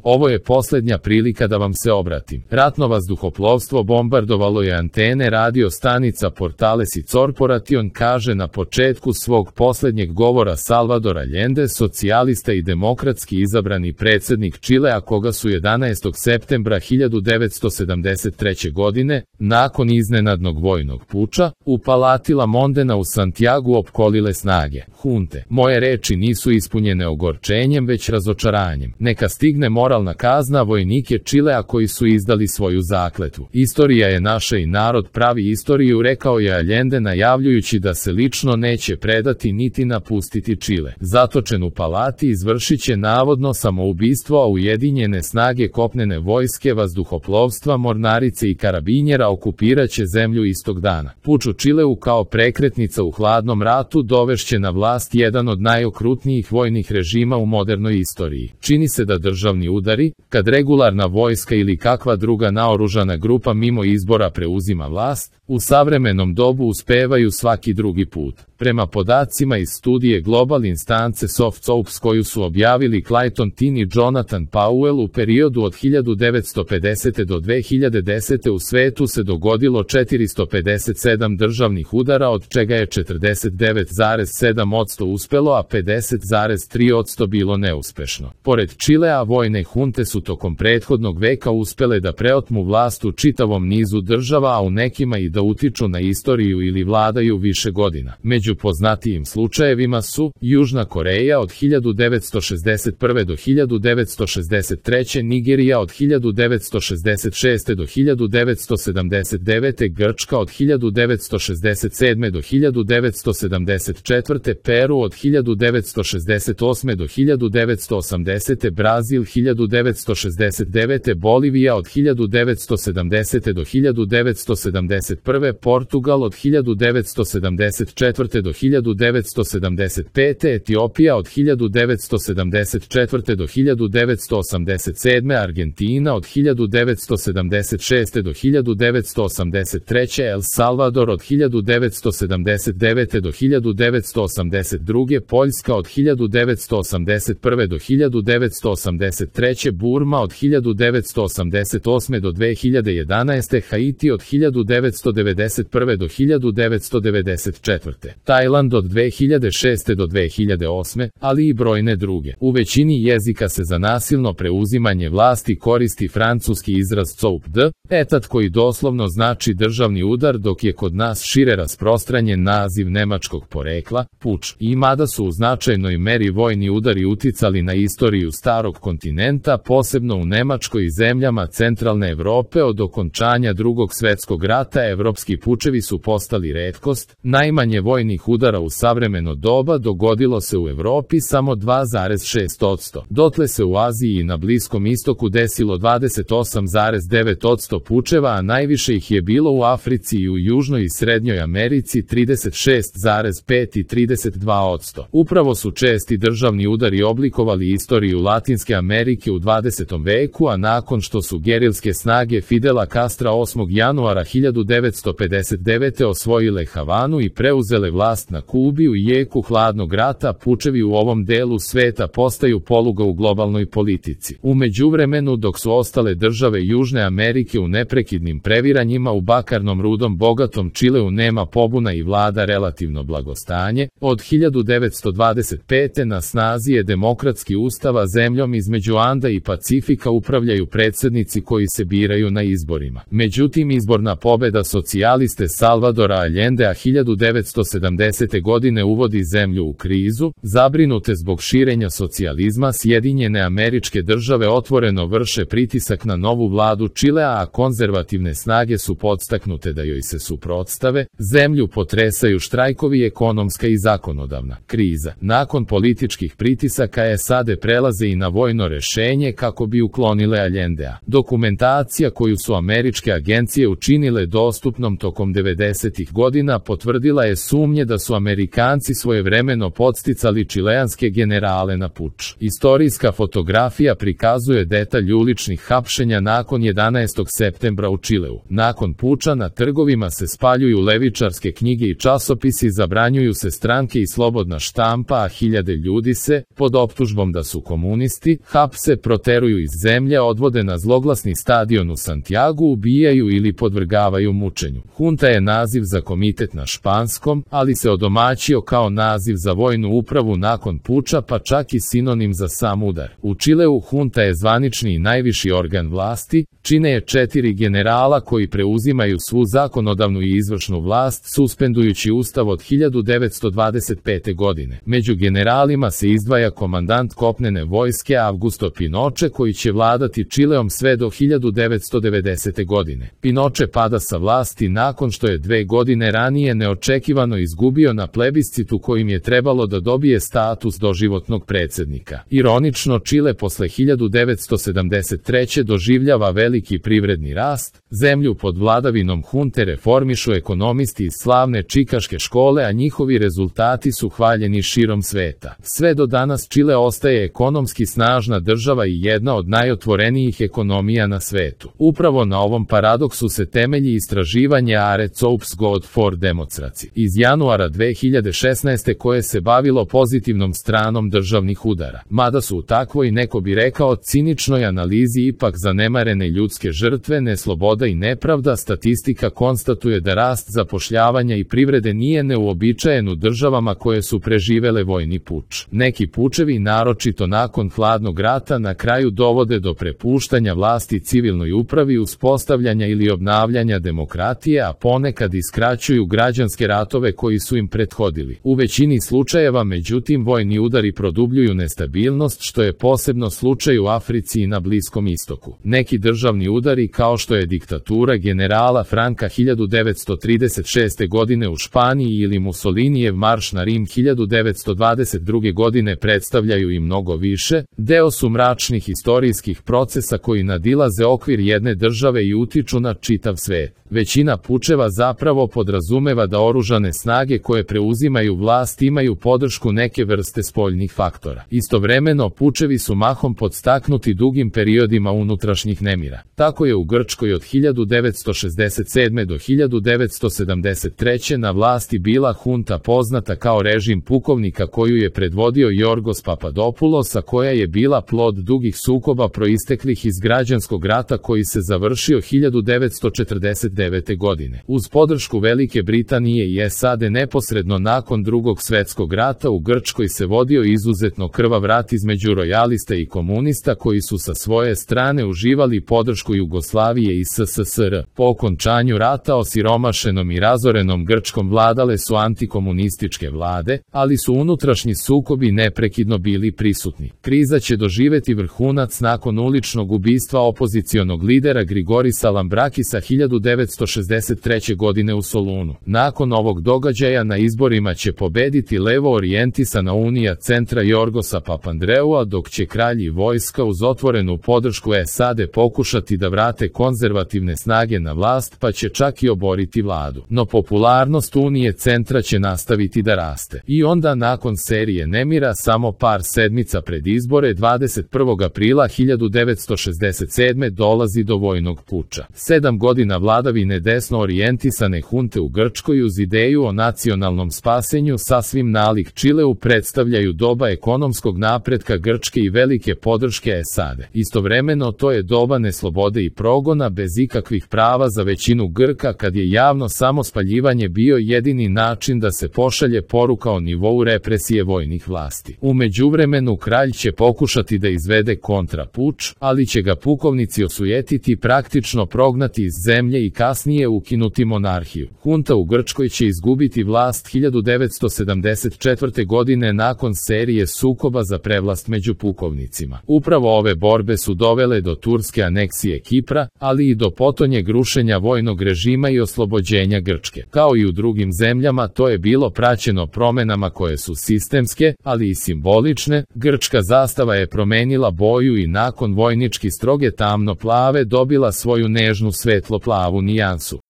Ovo je posljednja prilika da vam se obratim. Ratno vazduhoplovstvo bombardovalo je antene radio stanica Portales i Corporation, kaže na početku svog posljednjeg govora Salvador Allende, socijalista i demokratski izabrani predsjednik Čilea, koga su 11. septembra 1973. godine, nakon iznenadnog vojnog puča, u Palati La Mondena u Santiagu opkolile snage hunte. Moje reči nisu ispunjene ogorčenjem, već razočaranjem. Neka stigne moralna kazna vojnike Čilea koji su izdali svoju zakletvu. Istorija je naša i narod pravi istoriju, rekao je Allende, najavljujući da se lično neće predati niti napustiti Čile. Zatočen u Palati izvršit će navodno samoubistvo, a Ujedinjene snage kopnene vojske, vazduhoplovstva, mornarice i karabinjera okupirat će zemlju istog dana. Puč u Čileu kao prekretnica u hladnom ratu dovešće na vlast jedan od najokrutnijih vojnih režima u modernoj istoriji. Čini se da državni udari, kad regularna vojska ili kakva druga naoružana grupa mimo izbora preuzima vlast, u savremenom dobu uspevaju svaki drugi put. Prema podacima iz studije Global Instance Soft Ops koju su objavili Clayton Tin i Jonathan Powell, u periodu od 1950. do 2010. u svetu se dogodilo 457 državnih udara, od čega je 49,7% uspelo, a 50,3% bilo neuspešno. Pored Čilea, vojne hunte su tokom prethodnog veka uspele da preotmu vlast u čitavom nizu država, a u nekima i da utiču na istoriju ili vladaju više godina. Među poznatijim slučajevima su Južna Koreja od 1961. do 1963. Nigerija od 1966. do 1979. Grčka od 1967. do 1974. Peru od 1968. do 1980. Brazil 1969. Bolivija od 1970. do 1971. Portugal od 1974. do 1975. Etiopija od 1974. do 1987. Argentina od 1976. do 1983. El Salvador od 1979. do 1982. Poljska od 1981. do 1983. Burma od 1988. do 2011. Haiti od 1991. do 1994. Tajland od 2006. do 2008. ali i brojne druge. U većini jezika se za nasilno preuzimanje vlasti koristi francuski izraz coup d'etat koji doslovno znači državni udar, dok je kod nas šire rasprostranjen naziv nemačkog porekla, puč. I mada su u značajnoj meri vojni udari uticali na istoriju starog kontinenta, posebno u Nemačkoj i zemljama centralne Evrope, od okončanja Drugog svjetskog rata evropski pučevi su postali retkost. Najmanje vojnih udara u savremeno doba dogodilo se u Evropi samo 2,6%. Dotle se u Aziji i na Bliskom istoku desilo 28,9% pučeva, a najviše ih je bilo u Africi i u Južnoj i Srednjoj Americi 36,5 i 32%. Upravo su česti državni udari oblikovali istoriju Latinske Amerike u 20. veku, a nakon što su gerilske snage Fidela Castra 8. januara 1959. osvojile Havanu i preuzele vlast na Kubi u jeku hladnog rata, pučevi u ovom delu sveta postaju poluga u globalnoj politici. U međuvremenu, dok su ostale države Južne Amerike u neprekidnim previranjima, u bakarnom rudom bogatom Čileu nema pobuna i vlada relativno blagostanje. Od 1925. na snazi je demokratski ustav, a zemljom između Anda i Pacifika upravljaju predsjednici koji se biraju na izborima. Međutim, izborna pobeda socijaliste Salvadora Allendea 1970. godine uvodi zemlju u krizu. Zabrinute zbog širenja socijalizma, Sjedinjene Američke Države otvoreno vrše pritisak na novu vladu Čilea, a konzervativne snage su podstaknute da joj se suprotstave. Zemlju potresaju štrajkovi, ekonomska i zakonodavna kriza. Nakon političkih pritisaka SAD prelaze i na vojno rešenje kako bi uklonile Allendea. Dokumentacija koju su američke agencije učinile dostupnom tokom 90. godina potvrdila je sumnje da su Amerikanci svojevremeno podsticali čileanske generale na puč. Istorijska fotografija prikazuje detalj uličnih hapšenja nakon 11. septembra u Čileu. Nakon puča na trgovima se spaljuju levičarske knjige i časopisi, zabranjuju se stranke i slobodna štampa, a hiljade ljudi se, pod optužbom da su komunisti, hapse lice proteruju iz zemlje, odvode na zloglasni stadion u Santiagu, ubijaju ili podvrgavaju mučenju. Hunta je naziv za komitet na španskom, ali se odomaćio kao naziv za vojnu upravu nakon puča, pa čak i sinonim za sam udar. U Čileu hunta je zvanični i najviši organ vlasti, čine je 4 generala koji preuzimaju svu zakonodavnu i izvršnu vlast, suspendujući ustav od 1925. godine. Među generalima se izdvaja komandant kopnene vojske Augusto Pinochet, koji će vladati Čileom sve do 1990. godine. Pinochet pada sa vlasti nakon što je 2 godine ranije neočekivano izgubio na plebiscitu kojim je trebalo da dobije status doživotnog predsjednika. Ironično, Čile posle 1973. doživljava veliki privredni rast, zemlju pod vladavinom hunte reformišu ekonomisti iz slavne čikaške škole, a njihovi rezultati su hvaljeni širom sveta. Sve do danas Čile ostaje ekonomski snažna država i jedna od najotvorenijih ekonomija na svetu. Upravo na ovom paradoksu se temelji istraživanje Arets Ops God for Democracy iz januara 2016. koje se bavilo pozitivnom stranom državnih udara. Mada su u takvoj, neko bi rekao, ciničnoj analizi ipak zanemarene ljudske žrtve, nesloboda i nepravda, statistika konstatuje da rast zapošljavanja i privrede nije neuobičajen u državama koje su preživele vojni puč. Neki pučevi, naročito nakon hladnog rata, na kraju dovode do prepuštanja vlasti civilnoj upravi, uspostavljanja ili obnavljanja demokratije, a ponekad iskraćuju građanske ratove koji su im prethodili. U većini slučajeva, međutim, vojni udari produbljuju nestabilnost, što je posebno slučaj u Africi i na Bliskom istoku. Neki državni udari, kao što je diktatura generala Franka 1936. godine u Španiji ili Mussolinijev marš na Rim 1922. godine, predstavljaju i mnogo više, deo su mračnih istorijskih procesa koji nadilaze okvir jedne države i utiču na čitav svet. Većina pučeva zapravo podrazumeva da oružane snage koje preuzimaju vlast imaju podršku neke vrste spoljnih faktora. Istovremeno, pučevi su mahom podstaknuti dugim periodima unutrašnjih nemira. Tako je u Grčkoj od 1967. do 1973. na vlasti bila hunta poznata kao režim pukovnika koju je predvodio Yorgos Papadopoulos, a koja je bila plod dugih sukoba proisteklih iz građanskog rata koji se završio 1949. godine. Uz podršku Velike Britanije i SAD neposredno nakon Drugog svjetskog rata u Grčkoj se vodio izuzetno krvav rat između rojalista i komunista koji su sa svoje strane uživali podršku Jugoslavije i SSSR. Po okončanju rata osiromašenom i razorenom Grčkom vladale su antikomunističke vlade, ali su unutrašnji sukobi neprekidno bili prisutni. Kriza će doživeti vrhunac nakon uličnog ubistva opozicionog lidera Grigorisa Lambrakisa 1963. godine u Solunu. Nakon ovog događaja na izborima će pobediti levo orijentisana Unija centra Jorgosa Papandreua, dok će kralj i vojska uz otvorenu podršku SAD pokušati da vrate konzervativne snage na vlast, pa će čak i oboriti vladu. No popularnost Unije centra će nastaviti da raste. I onda, nakon serije nemira, samo par sedmica pred izbore 21. aprila 1967. dolazi do vojnog puča. 7 godina vladavine desno orijentisane hunte u Grčkoj uz ideju o nacionalnom spasenju sasvim nalik Čileu predstavljaju doba ekonomskog napretka Grčke i velike podrške SAD. Istovremeno, to je doba neslobode i progona bez ikakvih prava za većinu Grka, kad je javno samospaljivanje bio jedini način da se pošalje poruka o nivou represije vojnih vlasti. U međuvremenu kralj će pokušati da izvede kontrapuč, ali će ga pukovnici osujetiti, praktično prognati iz zemlje i kasnije ukinuti monarhiju. Hunta u Grčkoj će izgubiti vlast 1974. godine nakon serije sukoba za prevlast među pukovnicima. Upravo ove borbe su dovele do turske aneksije Kipra, ali i do potonjeg rušenja vojnog režima i oslobođenja Grčke. Kao i u drugim zemljama, to je bilo praćeno promenama koje su sistemske, ali i simbolične. Grčka zastava je promenila boju i nakon vojnički stroge tamno-plave dobila svoju nežnu svetlo-plavu nijansu.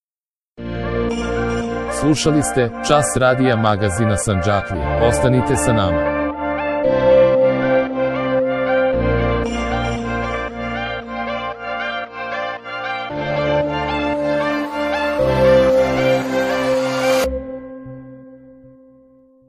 Slušali ste Čas radija magazina Sandžaklija. Ostanite sa nama.